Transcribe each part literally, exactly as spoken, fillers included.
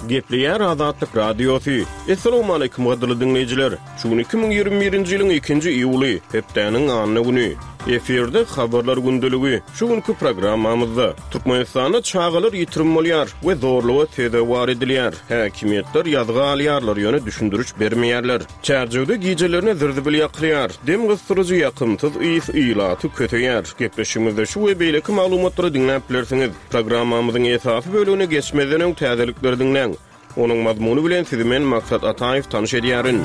Gepleýär Azatlyk Radiosy. Essalawmaleýkim gadyrly diňleýjiler! Şu gün iki müň ýigrimi birinji ýylyň ikinji iýuly, hepdäniň anna güni. Efirde Habarlar gündeligi. Şu günki programmamyzda, Türkmenistanda çagalar ýitirim bolýar we zorluga sezewar edilýär. Häkimiýetler ýazga alýarlar, ýöne düşündiriş bermeýärler. Çärjewde gijelerine zir-zibil ýakylýar. Dem gysdyryjy ýakymsyz ys ilaty köseýär. Gepleşigimizde şu we beýleki maglumatlary diňläp bilersiňiz. Programmamyzyň esasy bölegine geçmezden öň täzelikleri diňläň. Onuň mazmuny bilen sizi men Maksat Ataýew tanyş edýärin.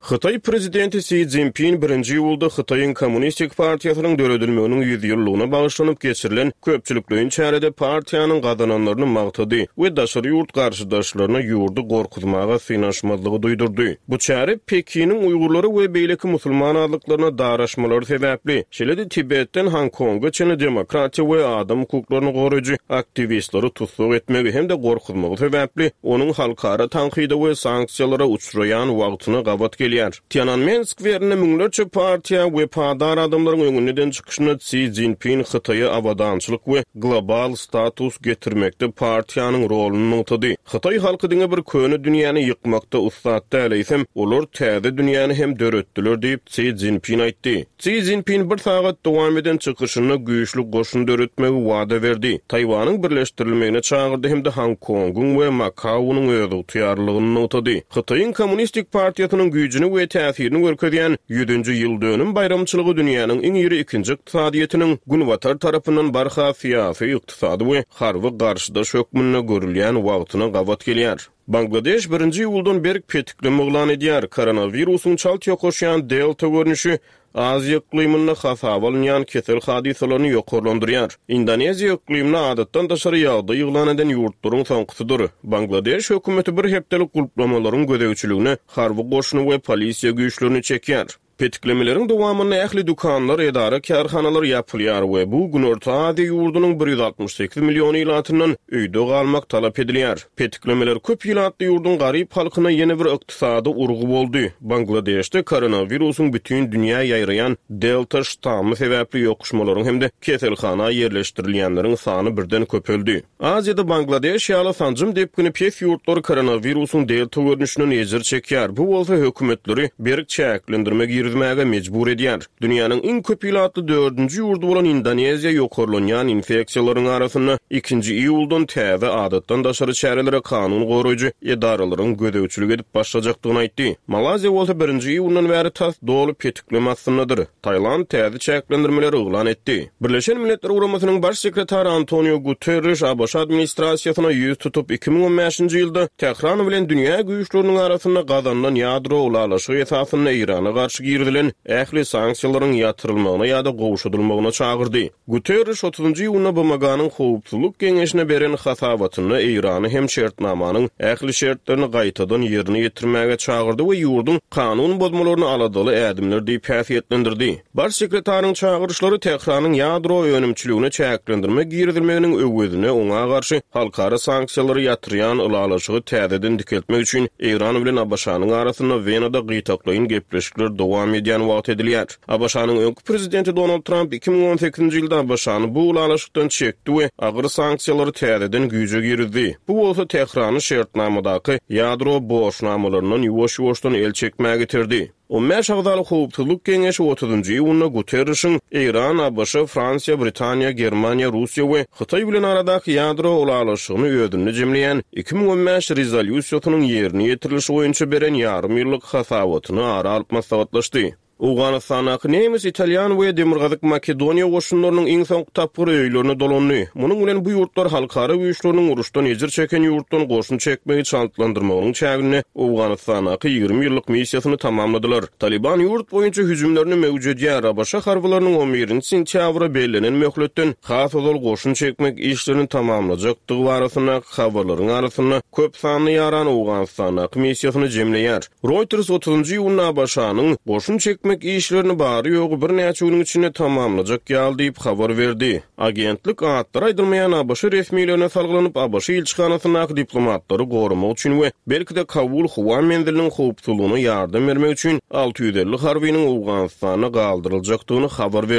Hytaý prezidenti Si Szinpin birinji iýulda Hytaýyň Kommunistik partiýasynyň döredilmeginiň ýüz ýyllygyna bagyşlanyp geçirilen köpçülikleýin çärede partiýanyň gazananlaryny magtady we daşary ýurt garşydaşlaryna ýurdy gorkuzmaga synanyşmazlygy duýdurdy. Bu çäre Pekiniň uýgurlara we beýleki musulman azlyklaryna daraşmalary sebäpli, şeýle-de Tibetden Honkonga çenli demokratiýa we adam hukuklaryny goraýjy aktiwistleri tussag etmegi hem-de gorkuzmagy sebäpli onuň halkara tankyda we sanksiýalara uçraýan wagtyna gabat gelýär. Tiananmen skwerinde müňlerçe partiýa wepadar adamlaryň öňünde eden çykyşynda Si Szinpin Hytaýa abadançylyk we global status getirmekde partiýanyň roluny nygtady. Hytaý halky diňe bir köne dünýäni ýykmakda ussat däl, eýsem, olar täze dünýäni hem döretdiler diýip, Si Szinpin aýtdy. Si Szinpin bir sagat dowam eden çykyşynda güýçli goşun döretmegi wada berdi, Taýwanyň birleşdirilmegine çagyrdy hem-de Honkongyň we Makaunyň özygtyýarlylygyny nygtady. Hytaýyň Kommunistik partiýasynyň güýjüni we täsirini görkezýän ýüzünji ýyldönüm baýramçylygy dünýäniň iň iri ikinji ykdysadyýetiniň Günbatar tarapyndan barha syýasy, ykdysady we harby garşydaş hökmünde görülýän wagtyna gabat gelýär. Bangladeş birinji iýuldan berk petikleme yglan edýär. Koronawirusyň çalt ýokaşýan Delta görnüşi Aziýa yklymynda hasaba alynýan kesel hadysalaryny ýokarlandyrýar. Indoneziýa yklymda adatdan daşary ýagdaý yglan eden ýurtlaryň soňkusydyr. Bangladeş hökümeti bir hepdelik gulplamalaryň gözegçiligine harby goşuny we polisiýa güýçlerini çekýär. Petiklemeleriň dowamynda ähli dükanlar, edara-kärhanalar ýapylýar we bu Günorta Aziýa ýurdunyň bir ýüz altmyş sekiz million ilatyndan öýde galmak talap edilýär. Petiklemeler köp ilatly ýurduň garyp halkyna ýene bir ykdysady urgy boldy. Bangladeşde koronawirusyň bütin dünýä ýaýraýan Delta ştammy sebäpli ýokuşmalaryň hem-de keselhana ýerleşdirilýänleriň sany birden köpeldi. Aziýada Bangladeş ýaly sanjym depgini pes ýurtlar koronawirusyň delta görnüşinden ejir çekýär, bu bolsa hökümetleri berk çäklendirme girizmäge mejbur edýär. Dünýäniň iň köp ilatly dördünji ýurdy bolan Indoneziýa ýokarlanýan infeksiýalaryň arasynda ikinji iýuldan täze adatdan daşary çärelere kanun goraýjy edaralaryň gözegçilik edip başlajakdygyny aýtdy. Malaýziýa bolsa birinji iýundan bäri tas doly petikleme astyndadyr. Tailand täze çäklendirmeleri yglan etdi. Birleşen Milletler Guramasynyň Baş sekretary Antonio Guterriş ABŞ administrasiýasyna ýüz tutup, iki müň on bäşinji ýylda Tähran bilen dünýä güýçleriniň arasynda gazanylan ýadro ylalaşygy esasynda Eýrana garşy girizilen ähli sanksiýalaryň ýatyrylmagyna ýa-da gowşadylmagyna çagyrdy. Guterriş otuzynjy iýunda B M G-nyň Howpsuzlyk Geňeşine beren hasabatynda Eýrany hem şertnamanyň ähli şertlerini gaýtadan ýerine ýetirmäge çagyrdy we ýurduň kanun bozmalaryny aladaly ädimler diýip häsiýetlendirdi. Baş sekretaryň çagyryşlary Tähranyň ýadro önümçiligine çäklendirme girizilmeginiň öwezine oňa garşy halkara sanksiýalary ýatyrýan ylalaşygy täzeden dikeltmek üçin Eýran bilen A B Ş-nyň arasynda Wenada gytaklaýyn gepleşikler dowam edýän wagt edilýär. A B Ş-nyň öňki prezidenti Donald Tramp iki müň on sekizinji ýylda A B Ş-ny bu ylalaşykdan çekdi we agyr sanksiýalary täzeden güýje girizdi. Bu bolsa Tährany şertnamadaky ýadro borçnamalaryndan ýuwaş-ýuwaşdan el çekmäge getirdi. On bäş agzaly Howpsuzlyk Geňeşi otuzynjy iýunda Guterrişiň Eýran, A B Ş, Fransiýa, Britaniýa, Germaniýa, Russiýa we Hytaý bilen aradaky ýadro ylalaşygyny özünde jemleýän iki müň on bäş rezolýusiýasynyň ýerine ýetirilişi boýunça beren ýarym ýyllyk hasabatyny ara alyp maslahatlaşdy. Owganystandaky nemes, italýan we Demirgazyk Makedoniýa goşunlarynyň iň soňky tapgyry öýlerine dolandy. Munuň bilen bu ýurtlar halkara güýçleriniň uruşdan ejir çeken ýurtdan goşun çekmegi çaltlandyrmagynyň çäginde Owganystandaky ýigrimi ýyllyk missiýasyny tamamladylar. Taliban ýurt boýunça hüjümlerini möwjedýär, A B Ş harbylarynyň on birinji sentýabra bellenen möhletden has ozal goşun çekmek işlerini tamamlajakdygy barasyndaky habarlaryň arasynda köp sanly ýaran Owganystandaky missiýasyny jemleýär. Reuters otuzynjy iýunda A B Ş-nyň goşun çekmek işlerini bary-ýogy birnäçe günüň içinde tamamlajak ýaly diýip habar berdi. Agentlik atlary aýdylmaýan A B Ş resmilerine salgylanyp, A B Ş ilçihanasyndaky diplomatlary goramak üçin we belki-de Kabul howa menziliniň howpsuzlygyna ýardam bermek üçin alty ýüz elli harbynyň Owganystanda galdyryljakdygyny habar berdi.